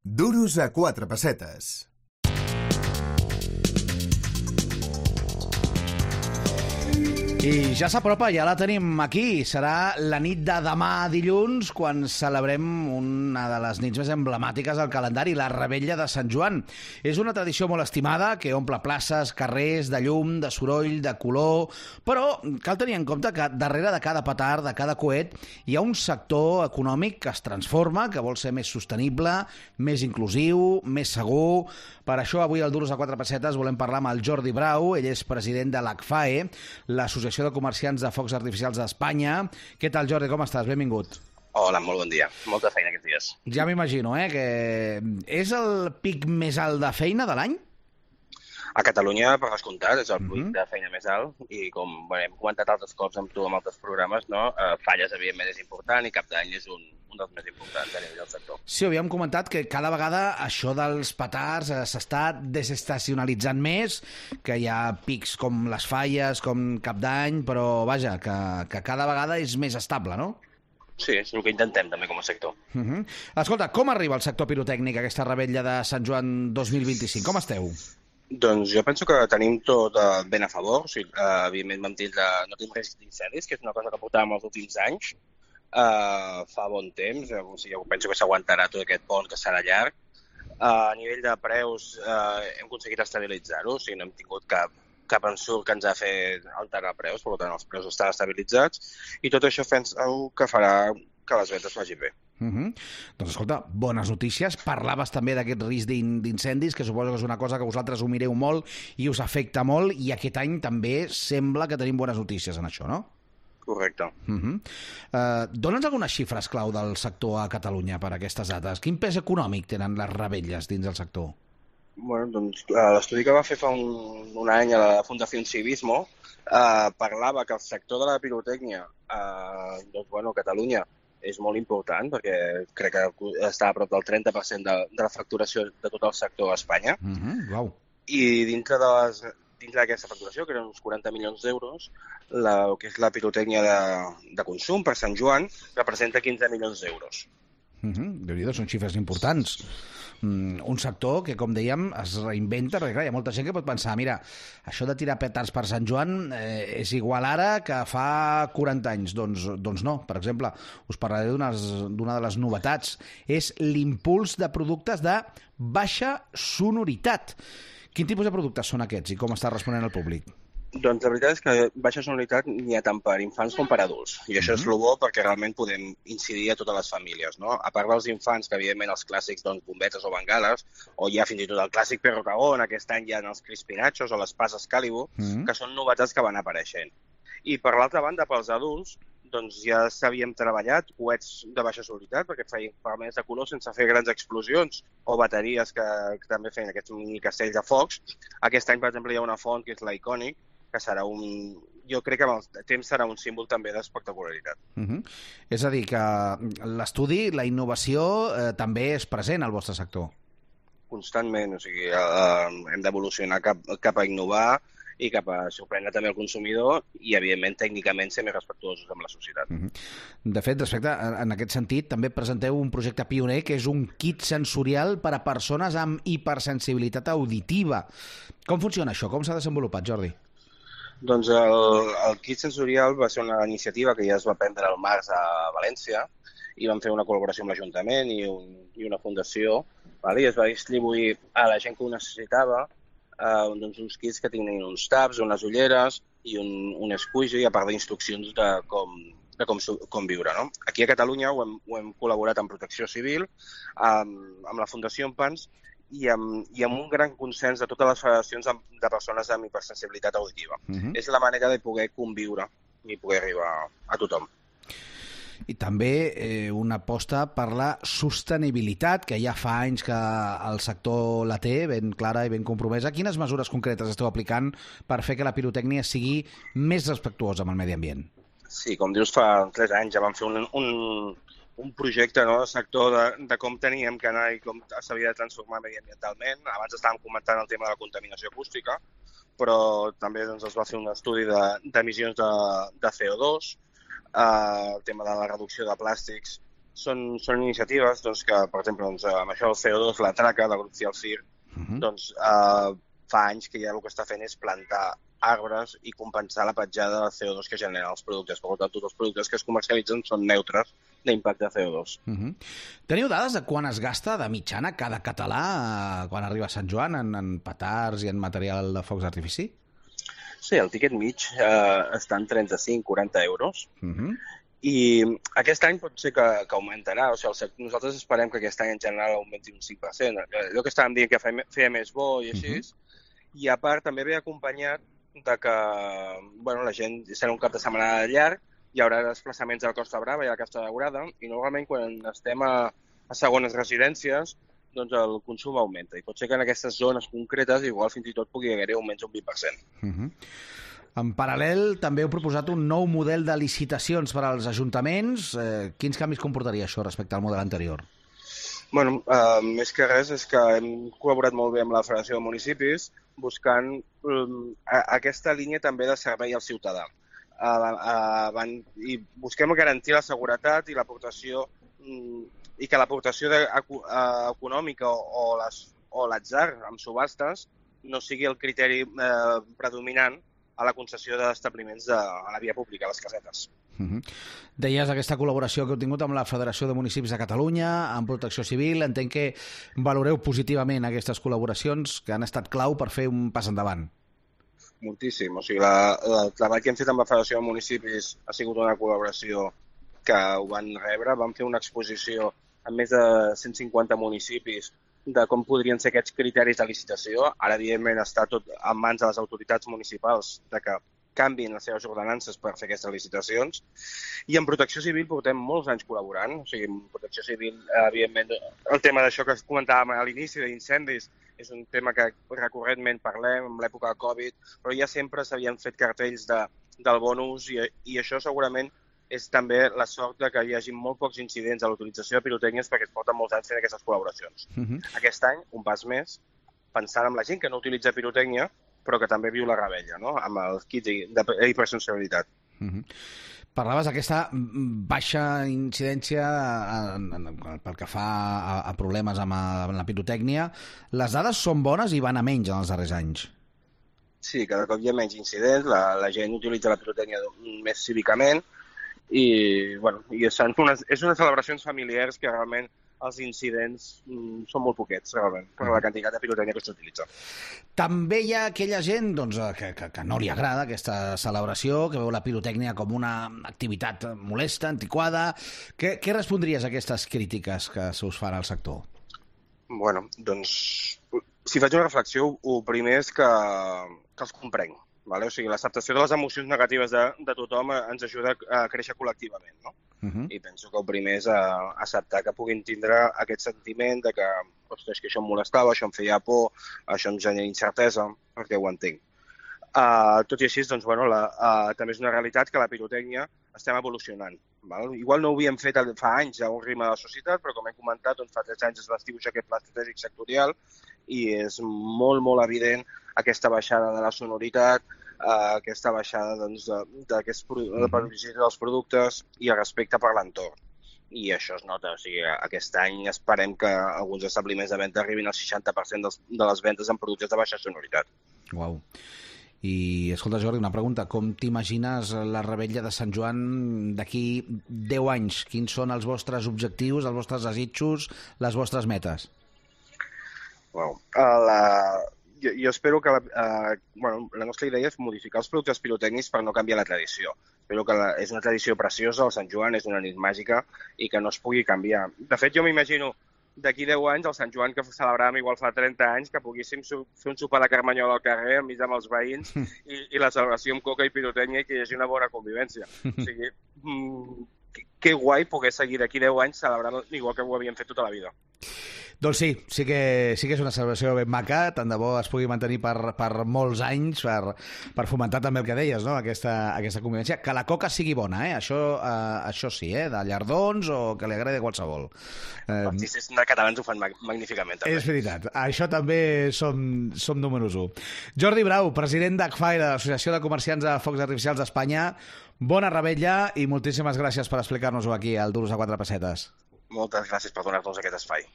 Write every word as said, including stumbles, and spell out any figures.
Duros a quatre pessetes. I ja s'apropa, ja la tenim aquí. Serà la nit de demà dilluns quan celebrem una de les nits més emblemàtiques del calendari, la Revetlla de Sant Joan. És una tradició molt estimada que omple places, carrers, de llum, de soroll, de color... Però cal tenir en compte que darrere de cada petard, de cada coet, hi ha un sector econòmic que es transforma, que vol ser més sostenible, més inclusiu, més segur... Per això avui al Duros a quatre pessetes volem parlar amb el Jordi Brau. Ell és president de l'A C F A E, l'Associació de Comerciants de Focs Artificials d'Espanya. Què tal, Jordi? Com estàs? Benvingut. Hola, molt bon dia. Molta feina aquests dies. Ja m'imagino, eh, que és el pic més alt de feina de l'any? A Catalunya, per descomptat, és el pic Mhm. de feina més alt i com bé, hem comentat altres cops amb tu en altres programes, no? eh, Falles, evidentment, és important i Cap d'Any és un, un dels més importants a nivell del sector. Sí, havíem comentat que cada vegada això dels petards eh, s'està desestacionalitzant més, que hi ha pics com les falles, com Cap d'Any, però vaja, que, que cada vegada és més estable, no? Sí, és el que intentem també com a sector. Uh -huh. Escolta, com arriba el sector pirotècnic a aquesta Revetlla de Sant Joan dos mil vint-i-cinc? Com esteu? Doncs jo penso que tenim tot eh, ben a favor. O sigui, eh, evidentment vam tindre, no tenim risc d'incendis, que és una cosa que portàvem els últims anys. Eh, fa bon temps, eh, o sigui, jo penso que s'aguantarà tot aquest pont, que serà llarg. Eh, a nivell de preus eh, hem aconseguit estabilitzar-ho, o sigui, no hem tingut cap, cap ensurt que ens ha fet alterar preus, per tant els preus estan estabilitzats i tot això penso que farà que les ventes vagi bé. Uh -huh. Doncs escolta, bones notícies. Parlaves també d'aquest risc d'incendis, que suposo que és una cosa que vosaltres ho mireu molt i us afecta molt, i aquest any també sembla que tenim bones notícies en això, no? Correcte. Uh -huh. uh, Dóna'ns algunes xifres clau del sector a Catalunya per aquestes dates. Quin pes econòmic tenen les revetlles dins del sector? Bueno, doncs l'estudi que va fer fa un, un any a la Fundació Civismo eh, parlava que el sector de la pirotècnia eh, doncs, bueno, a Catalunya és molt important, perquè crec que està a prop del trenta per cent de, de la facturació de tot el sector a Espanya. Uh -huh. Wow. I dintre de les, dintre d'aquesta facturació, que eren uns quaranta milions d'euros, la, el que és la pirotècnia de, de consum per Sant Joan representa quinze milions d'euros. Uh -huh. Déu-n'hi-do, són xifres importants. Mm, un sector que, com dèiem, es reinventa, perquè clar, hi ha molta gent que pot pensar, mira, això de tirar petards per Sant Joan eh, és igual ara que fa quaranta anys. Doncs, doncs no. Per exemple, us parlaré d'una de les novetats. És l'impuls de productes de baixa sonoritat. Quin tipus de productes són aquests i com està responent el públic? Doncs la veritat és que baixa sonoritat n'hi ha tant per infants com per adults. I això és el bo perquè realment podem incidir a totes les famílies, no? A part dels infants, que evidentment els clàssics, doncs, bombetes o bengales, o hi ha fins i tot el clàssic Perro Cagón, aquest any hi ha els Crispinachos o les Pas Excalibur, Mm. que són novetats que van apareixent. I per l'altra banda, pels adults, doncs ja s'havíem treballat coets de baixa sonoritat, perquè feien paraments de color sense fer grans explosions, o bateries que, que també feien aquests mini castells de focs. Aquest any, per exemple, hi ha una font que és l'Iconic, que serà un... jo crec que amb el temps serà un símbol també d'espectacularitat. Uh -huh. És a dir, que l'estudi, la innovació, eh, també és present al vostre sector. Constantment, o sigui, eh, hem d'evolucionar cap, cap a innovar i cap a sorprendre també el consumidor i, evidentment, tècnicament ser més respectuosos amb la societat. Uh -huh. De fet, respecte, en aquest sentit, també presenteu un projecte pioner que és un kit sensorial per a persones amb hipersensibilitat auditiva. Com funciona això? Com s'ha desenvolupat, Jordi? Doncs el, el kit sensorial va ser una iniciativa que ja es va prendre al març a València i vam fer una col·laboració amb l'Ajuntament i, un, i una fundació, vale? I es va distribuir a la gent que ho necessitava eh, doncs uns kits que tenien uns taps, unes ulleres i un, un squeegee, a part d'instruccions de com, de com, com viure. No? Aquí a Catalunya ho hem, ho hem col·laborat amb Protecció Civil, amb, amb la Fundació Empans, i amb, i amb un gran consens de totes les federacions de persones amb hipersensibilitat auditiva. Uh -huh. És la manera de poder conviure i poder arribar a tothom. I també eh, una aposta per la sostenibilitat, que ja fa anys que el sector la té ben clara i ben compromesa. Quines mesures concretes esteu aplicant per fer que la pirotècnia sigui més respectuosa amb el medi ambient? Sí, com dius, fa tres anys ja vam fer un, un, un projecte, no?, de sector de, de com teníem que anar i com s'havia de transformar mediambientalment. Abans estàvem comentant el tema de la contaminació acústica, però també doncs, es va fer un estudi d'emissions de, de, de C O dos, eh, el tema de la reducció de plàstics són, són iniciatives doncs, que, per exemple, doncs, amb això del C O dos, la traca del grup Cialcir, uh -huh. doncs eh, fa anys que ja el que està fent és plantar arbres i compensar la petjada de C O dos que generen els productes. Per tant, tots els productes que es comercialitzen són neutres d'impacte de C O dos. Uh -huh. Teniu dades de quan es gasta de mitjana cada català quan arriba a Sant Joan en, en petards i en material de focs d'artifici? Sí, el tiquet mig eh, està en trenta-cinc a quaranta euros. Uh -huh. I aquest any pot ser que, que augmentarà. O sigui, el, nosaltres esperem que aquest any en general augmenti un cinc per cent. Allò que estàvem dient que feia, feia més bo i així. Uh -huh. I a part també ve acompanyat de que bueno, la gent serà un cap de setmana llarg, hi haurà desplaçaments a la Costa Brava i a la Costa Daurada, i normalment quan estem a, a segones residències, doncs el consum augmenta. I pot ser que en aquestes zones concretes igual fins i tot pugui haver-hi augments un vint per cent. Uh -huh. En paral·lel, també heu proposat un nou model de licitacions per als ajuntaments. Eh, quins canvis comportaria això respecte al model anterior? Bueno, eh, més que res és que hem col·laborat molt bé amb la Federació de Municipis buscant um, a, aquesta línia també de servei al ciutadà. Uh, uh, van, I busquem garantir la seguretat i l'aportació um, i que l'aportació uh, econòmica o, o l'atzar amb subhastes no sigui el criteri uh, predominant a la concessió d'establiments de, a la via pública, a les casetes. Uh -huh. Deies aquesta col·laboració que heu tingut amb la Federació de Municipis de Catalunya, amb Protecció Civil. Entenc que valoreu positivament aquestes col·laboracions que han estat clau per fer un pas endavant. Moltíssim. O sigui, la, la, el treball que hem fet amb la Federació de Municipis ha sigut una col·laboració que ho van rebre. Vam fer una exposició amb més de cent cinquanta municipis de com podrien ser aquests criteris de licitació. Ara, evidentment, està tot en mans de les autoritats municipals de que canvin les seves ordenances per fer aquestes licitacions. I en Protecció Civil portem molts anys col·laborant. O sigui, en Protecció Civil, evidentment, el tema d'això que comentàvem a l'inici, d'incendis, és un tema que recurrentment parlem en l'època de Covid, però ja sempre s'havien fet cartells de, del bon ús i, i això segurament és també la sort de que hi hagi molt pocs incidents a l'utilització de pirotècnies perquè es porten molts anys fent aquestes col·laboracions. Uh -huh. Aquest any, un pas més, pensant en la gent que no utilitza pirotècnia, però que també viu la rebella, no? Amb el kit d'hipersensibilitat. Uh -huh. Parlaves d'aquesta baixa incidència en, en, en, pel que fa a, a problemes amb, a, amb la pirotècnia. Les dades són bones i van a menys en els darrers anys. Sí, cada cop hi ha menys incidents, la, la gent utilitza la pirotècnia més cívicament i, bueno, i són unes, és unes celebracions familiars que realment els incidents mm, són molt poquets, realment, per la quantitat de pirotècnia que s'utilitza. També hi ha aquella gent doncs, que, que, que no li agrada aquesta celebració, que veu la pirotècnia com una activitat molesta, antiquada. Què, què respondries a aquestes crítiques que se us fan al sector? Bueno, doncs, si faig una reflexió, el primer és que, que els comprenc. Vale? O sigui, l'acceptació de les emocions negatives de, de tothom ens ajuda a créixer col·lectivament, no? Uh-huh. I penso que el primer és a acceptar que puguin tindre aquest sentiment de que, ostres, que això em molestava, això em feia por, això em genera incertesa, perquè ho entenc. Uh, tot i així, doncs, bueno, la, uh, també és una realitat que la pirotècnia estem evolucionant. Val? Igual no ho havíem fet fa anys a un ritme de la societat, però com hem comentat, doncs, fa tres anys es va dibuixar aquest pla estratègic sectorial i és molt, molt evident aquesta baixada de la sonoritat, Uh, aquesta baixada doncs, d'aquest de, de dels productes i el respecte per l'entorn. I això es nota. O sigui, aquest any esperem que alguns establiments de venda arribin al seixanta per cent dels, de les vendes en productes de baixa sonoritat. Uau. I, escolta, Jordi, una pregunta. Com t'imagines la revetlla de Sant Joan d'aquí deu anys? Quins són els vostres objectius, els vostres desitjos, les vostres metes? Wow. Uh, la... Jo, jo espero que la, uh, bueno, la nostra idea és modificar els productes pirotècnics per no canviar la tradició. Espero que la, és una tradició preciosa, el Sant Joan és una nit màgica i que no es pugui canviar. De fet, jo m'imagino d'aquí deu anys el Sant Joan que celebràvem igual fa trenta anys, que poguéssim fer un sopar de carmanyola al carrer enmig amb els veïns i, i la celebració amb coca i pirotècnia i que hi hagi una bona convivència. O sigui, mm, que, que guai poder seguir d'aquí deu anys celebrant igual que ho havíem fet tota la vida. Doncs sí, sí que, sí que és una celebració ben maca, tant de bo es pugui mantenir per, per molts anys, per, per fomentar també el que deies, no? aquesta, aquesta convivència. Que la coca sigui bona, eh? Això, eh, això sí, eh? De llardons o que li agradi qualsevol. Eh, Els artistes catalans ho fan magníficament, també. És veritat, això també som, som números u. Jordi Brau, president d'A C F A I, de l'Associació de Comerciants de Focs Artificials d'Espanya, bona revetlla i moltíssimes gràcies per explicar-nos-ho aquí al Duros a quatre pessetes. Moltes gràcies per donar-nos aquest espai.